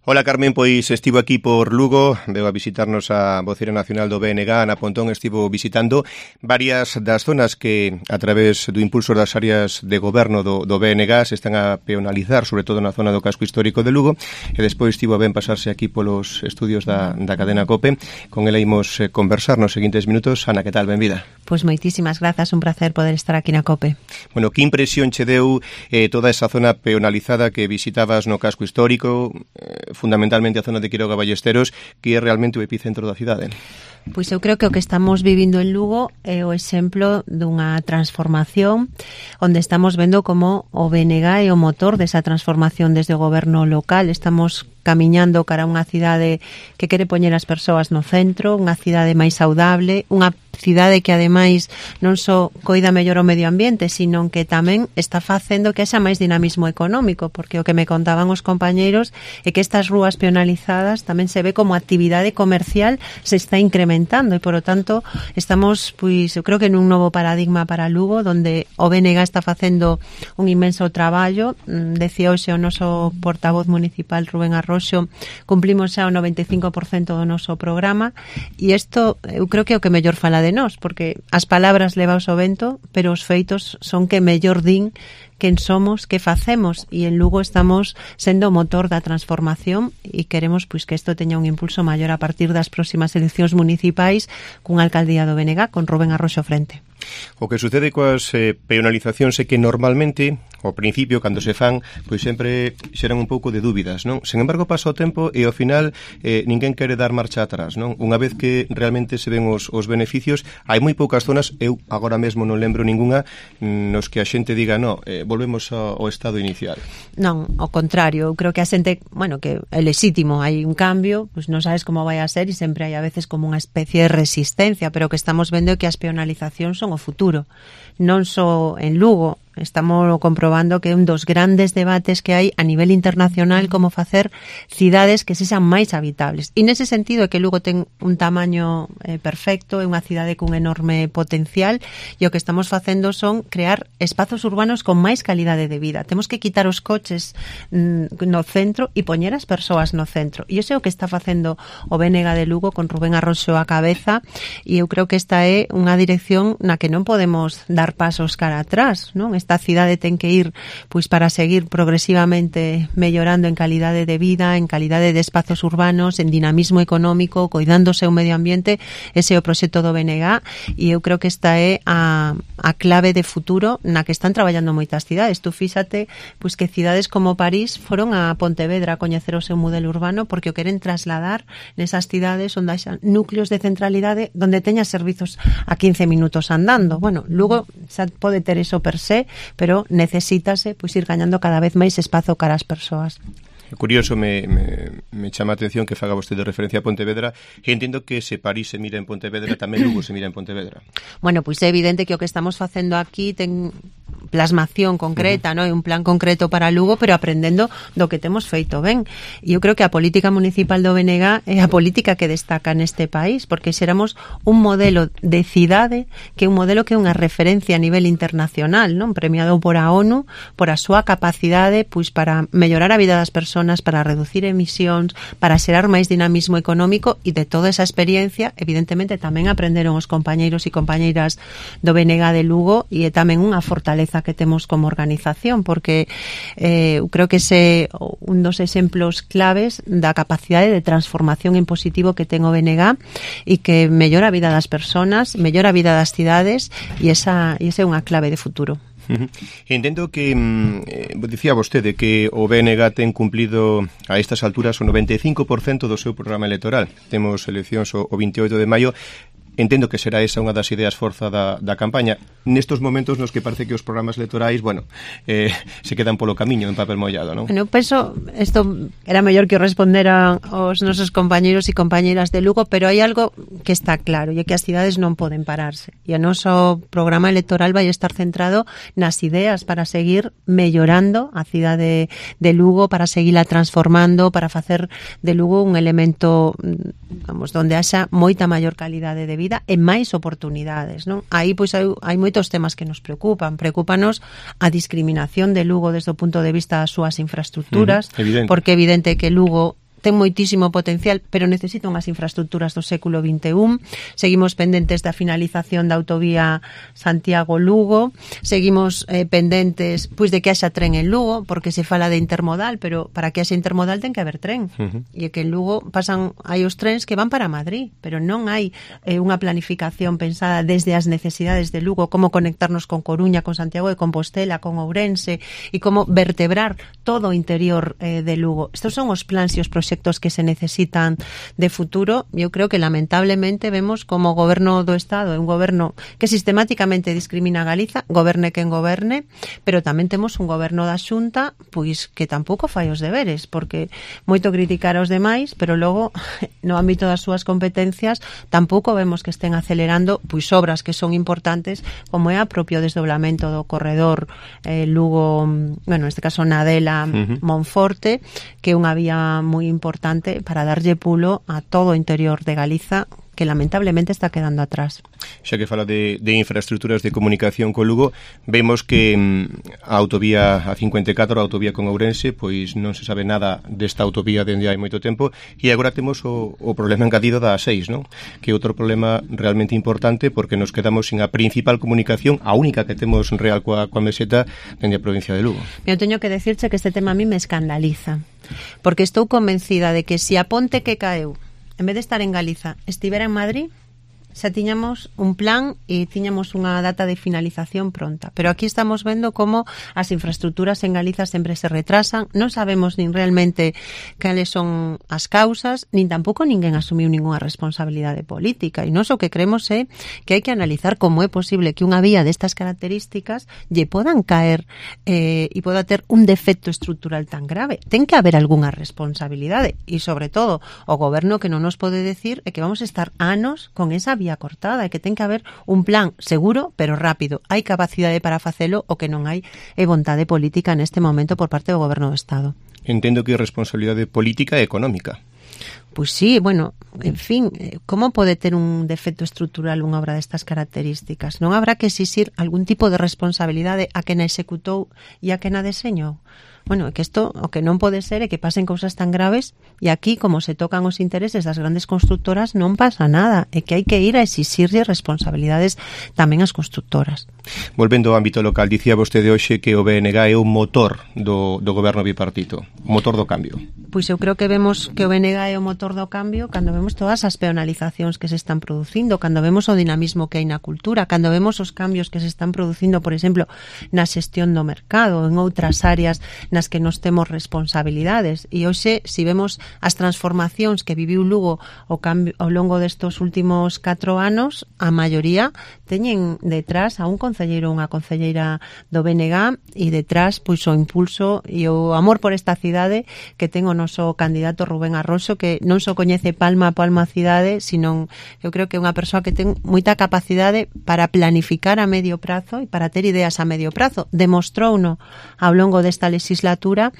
Hola Carmen, pois estivo aquí por Lugo, veu a visitarnos a voceira nacional do BNG, Ana Pontón, estivo visitando varias das zonas que a través do impulso das áreas de goberno do BNG se están a peonalizar, sobre todo na zona do casco histórico de Lugo, e despois estivo a ben pasarse aquí polos estudios da cadena COPE. Con ela imos conversar nos seguintes minutos. Ana, que tal? Benvida. Pois moitísimas grazas, un placer poder estar aquí na COPE. Bueno, que impresión che deu toda esa zona peonalizada que visitabas no casco histórico, fundamentalmente a zona de Quiroga Ballesteros, que é realmente o epicentro da cidade? Pois eu creo que o que estamos vivindo en Lugo é o exemplo dunha transformación onde estamos vendo como o BNG é o motor desa transformación desde o goberno local. Estamos camiñando cara a unha cidade que quere poñer as persoas no centro, unha cidade máis saudable, unha cidade que ademais non só coida mellor o medio ambiente, sino que tamén está facendo que haxa máis dinamismo económico, porque o que me contaban os compañeiros é que estas rúas peonalizadas tamén se ve como actividade comercial se está incrementando e, por lo tanto, estamos, pois, eu creo que nun novo paradigma para Lugo, donde o BNG está facendo un inmenso traballo. Decía hoxe o noso portavoz municipal, Rubén Arroxo, cumplimos xa o 95% do noso programa, e isto eu creo que é o que mellor fala de nós, porque as palabras levaos o vento, pero os feitos son que mellor din quen somos, que facemos, e en Lugo estamos sendo o motor da transformación e queremos pois que isto teña un impulso maior a partir das próximas eleccións municipais cunha alcaldía do BNG con Rubén Arroxo frente. O que sucede coas peonalizacións é que normalmente, ao principio, cando se fan, pois sempre xeran un pouco de dúbidas, non? Sen embargo, pasa o tempo e ao final ninguén quere dar marcha atrás, non? Unha vez que realmente se ven os beneficios, hai moi poucas zonas, eu agora mesmo non lembro ningunha, nos que a xente diga, no, volvemos ao estado inicial. Non, ao contrario, eu creo que a xente, bueno, que é lexítimo, hai un cambio, pois non sabes como vai a ser e sempre hai a veces como unha especie de resistencia, pero o que estamos vendo é que as peonalizacións son o futuro, non só en Lugo. Estamos comprobando que é un dos grandes debates que hai a nivel internacional como facer cidades que sexan máis habitables. E nese sentido é que Lugo ten un tamaño perfecto, é unha cidade cun enorme potencial, e o que estamos facendo son crear espazos urbanos con máis calidade de vida. Temos que quitar os coches no centro e poñer as persoas no centro. E iso é o que está facendo o BNG de Lugo con Rubén Arroxo á cabeza, e eu creo que esta é unha dirección na que non podemos dar pasos cara atrás, non? Esta cidade ten que ir pois para seguir progresivamente mellorando en calidade de vida, en calidade de espazos urbanos, en dinamismo económico, coidándose o medio ambiente. Ese é o proxecto do BNG, e eu creo que esta é a clave de futuro na que están traballando moitas cidades. Tú fíxate pois que cidades como París foron a Pontevedra a coñecer o seu modelo urbano porque o queren trasladar nesas cidades onde haxa núcleos de centralidade donde teña servizos a 15 minutos andando. Bueno, Lugo xa pode ter eso per se, pero necesítase pois ir gañando cada vez máis espazo cara ás persoas. Curioso, me chama a atención que faga vostede referencia a Pontevedra, e entendo que se París se mira en Pontevedra, tamén Lugo se mira en Pontevedra. Bueno, pois é evidente que o que estamos facendo aquí ten plasmación concreta, non? Un plan concreto para Lugo, pero aprendendo do que temos feito ben. E eu creo que a política municipal do BNG é a política que destaca neste país, porque xeramos un modelo de cidade que é un modelo que é unha referencia a nivel internacional, non? Premiado por a ONU por a súa capacidade pois para mellorar a vida das persoas, para reducir emisións, para xerar máis dinamismo económico, e de toda esa experiencia evidentemente tamén aprenderon os compañeiros e compañeiras do BNG de Lugo, e é tamén unha fortaleza que temos como organización, porque eu creo que ese un dos exemplos claves da capacidade de transformación en positivo que ten o BNG e que mellora a vida das persoas, mellora a vida das cidades, e esa é unha clave de futuro. Entendo que dicía vostede que o BNG ten cumplido a estas alturas o 95% do seu programa electoral. Temos eleccións o 28 de maio. Entendo que será esa unha das ideas forza da campaña. Nestos momentos nos que parece que os programas electorais, bueno, se quedan polo camiño en papel mollado, non? Bueno, penso, isto era mellor que o responderan os nosos compañeiros e compañeiras de Lugo, pero hai algo que está claro, e é que as cidades non poden pararse. E o noso programa electoral vai estar centrado nas ideas para seguir mellorando a cidade de Lugo, para seguila transformando, para facer de Lugo un elemento, vamos, donde haxa moita maior calidade de vida e máis oportunidades, non? Aí pois hai moitos temas que nos preocupan. Preocúpanos a discriminación de Lugo desde o punto de vista das súas infraestructuras, porque é evidente que Lugo ten moitísimo potencial, pero necesita unhas infraestructuras do século XXI. Seguimos pendentes da finalización da autovía Santiago-Lugo, seguimos pendentes pois de que haxa tren en Lugo, porque se fala de intermodal, pero para que haxa intermodal ten que haber tren. E que en Lugo hai os trens que van para Madrid, pero non hai unha planificación pensada desde as necesidades de Lugo, como conectarnos con Coruña, con Santiago de Compostela, con Ourense, e como vertebrar todo o interior de Lugo. Estos son os plans e os proxectos que se necesitan de futuro. Eu creo que lamentablemente vemos como o goberno do Estado é un goberno que sistemáticamente discrimina a Galiza, goberne quen goberne, pero tamén temos un goberno da Xunta pois que tampouco fai os deberes, porque moito criticar aos demais, pero logo no ámbito das súas competencias tampouco vemos que estén acelerando pois obras que son importantes, como é a propio desdoblamento do corredor Lugo, bueno, neste caso Nadela Monforte, que é unha vía moi importante para darlle pulo a todo o interior de Galiza, que lamentablemente está quedando atrás. Xa que fala de infraestructuras de comunicación co Lugo, vemos que a autovía A54, a autovía con Ourense, pois non se sabe nada desta autovía dende hai moito tempo, e agora temos o problema engadido da A6, non? Que é outro problema realmente importante, porque nos quedamos sin a principal comunicación, a única que temos real coa meseta dende a provincia de Lugo. Eu teño que decirche que este tema a mí me escandaliza, porque estou convencida de que se a ponte que caeu, en vez de estar en Galiza, estivera en Madrid, xa tiñamos un plan e tiñamos unha data de finalización pronta. Pero aquí estamos vendo como as infraestructuras en Galiza sempre se retrasan, non sabemos nin realmente cales son as causas, nin tampouco ninguén asumiu ninguna responsabilidade política. E nós o que creemos é que hai que analizar como é posible que unha vía destas características lle podan caer e poda ter un defecto estrutural tan grave. Ten que haber algunha responsabilidade e, sobre todo, o goberno que non nos pode decir é que vamos a estar anos con esa vía cortada e que ten que haber un plan seguro pero rápido. Hai capacidade para facelo, o que non hai é vontade política neste momento por parte do goberno do Estado. Entendo que é responsabilidade política e económica. Pois sí, bueno, en fin, como pode ter un defecto estrutural unha obra destas características? Non habrá que exixir algún tipo de responsabilidade a quen a executou e a quen a deseñou? Bueno, é que isto o que non pode ser é que pasen cousas tan graves e aquí, como se tocan os intereses das grandes constructoras, non pasa nada. É que hai que ir a exixirlle responsabilidades tamén ás constructoras. Volvendo ao ámbito local, dicía vostede hoxe que o BNG é o motor do goberno bipartito, o motor do cambio. Pois eu creo que vemos que o BNG é o motor do cambio cando vemos todas as peonalizacións que se están producindo, cando vemos o dinamismo que hai na cultura, cando vemos os cambios que se están producindo, por exemplo, na xestión do mercado, en outras áreas nas que nos temos responsabilidades. E hoxe, se vemos as transformacións que viviu Lugo ao longo destos últimos 4 anos, a maioría teñen detrás a un concelleiro ou unha concelleira do BNG e detrás pois o impulso e o amor por esta cidade que ten o noso candidato Rubén Arroxo, que non só coñece palma a palma a cidade, sino eu creo que é unha persoa que ten moita capacidade para planificar a medio prazo e para ter ideas a medio prazo. Demostrouno ao longo desta legislatura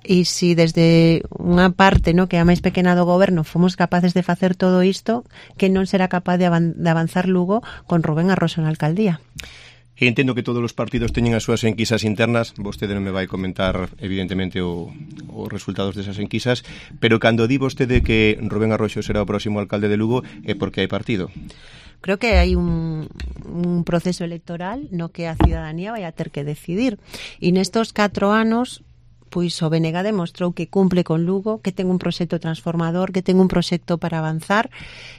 e se desde unha parte, no, que é a máis pequena do goberno, fomos capaces de facer todo isto, que non será capaz de avanzar Lugo con Rubén Arroxo na alcaldía. E entendo que todos os partidos teñen as súas enquisas internas, vostede non me vai comentar evidentemente os resultados desas enquisas, pero cando di vostede que Rubén Arroxo será o próximo alcalde de Lugo é porque hai partido. Creo que hai un proceso electoral no que a cidadanía vai a ter que decidir. E nestos 4 anos pois o BNG demostrou que cumple con Lugo, que ten un proxecto transformador, que ten un proxecto para avanzar,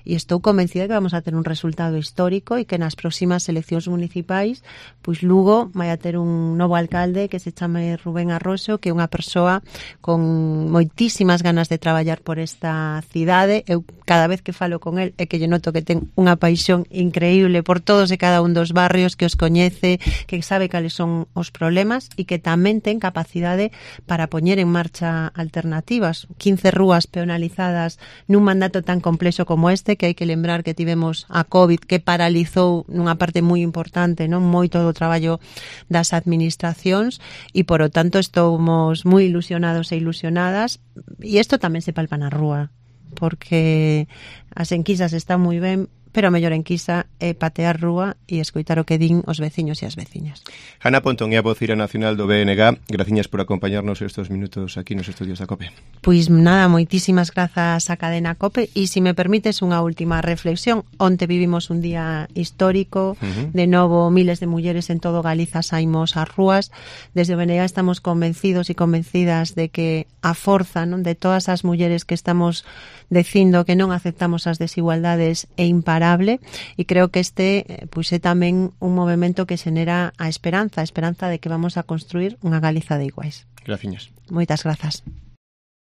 e estou convencida que vamos a ter un resultado histórico e que nas próximas eleccións municipais pois Lugo vai a ter un novo alcalde que se chame Rubén Arroxo, que é unha persoa con moitísimas ganas de traballar por esta cidade. Eu cada vez que falo con el é que lle noto que ten unha paixón increíble por todos e cada un dos barrios, que os coñece, que sabe cales son os problemas e que tamén ten capacidade para poñer en marcha alternativas. 15 rúas peonalizadas nun mandato tan complexo como este, que hai que lembrar que tivemos a COVID, que paralizou nunha parte moi importante, non, moito do traballo das administracións, e por o tanto estamos moi ilusionados e ilusionadas, e isto tamén se palpa na rúa, porque as enquisas están moi ben, pero a mellor enquisa é patear rúa e escoitar o que din os veciños e as veciñas. Ana Pontón é a voceira nacional do BNG. Graciñas por acompañarnos estes minutos aquí nos estudios da COPE. Pois nada, moitísimas grazas á cadena COPE, e se me permites unha última reflexión. Onte vivimos un día histórico, de novo miles de mulleres en todo Galiza saímos ás rúas. Desde o BNG estamos convencidos e convencidas de que a forza, non, de todas as mulleres que estamos dicindo que non aceptamos as desigualdades é imparable, e creo que este pois é tamén un movimento que xenera a esperanza de que vamos a construir unha Galiza de iguais. Graciñas. Moitas grazas.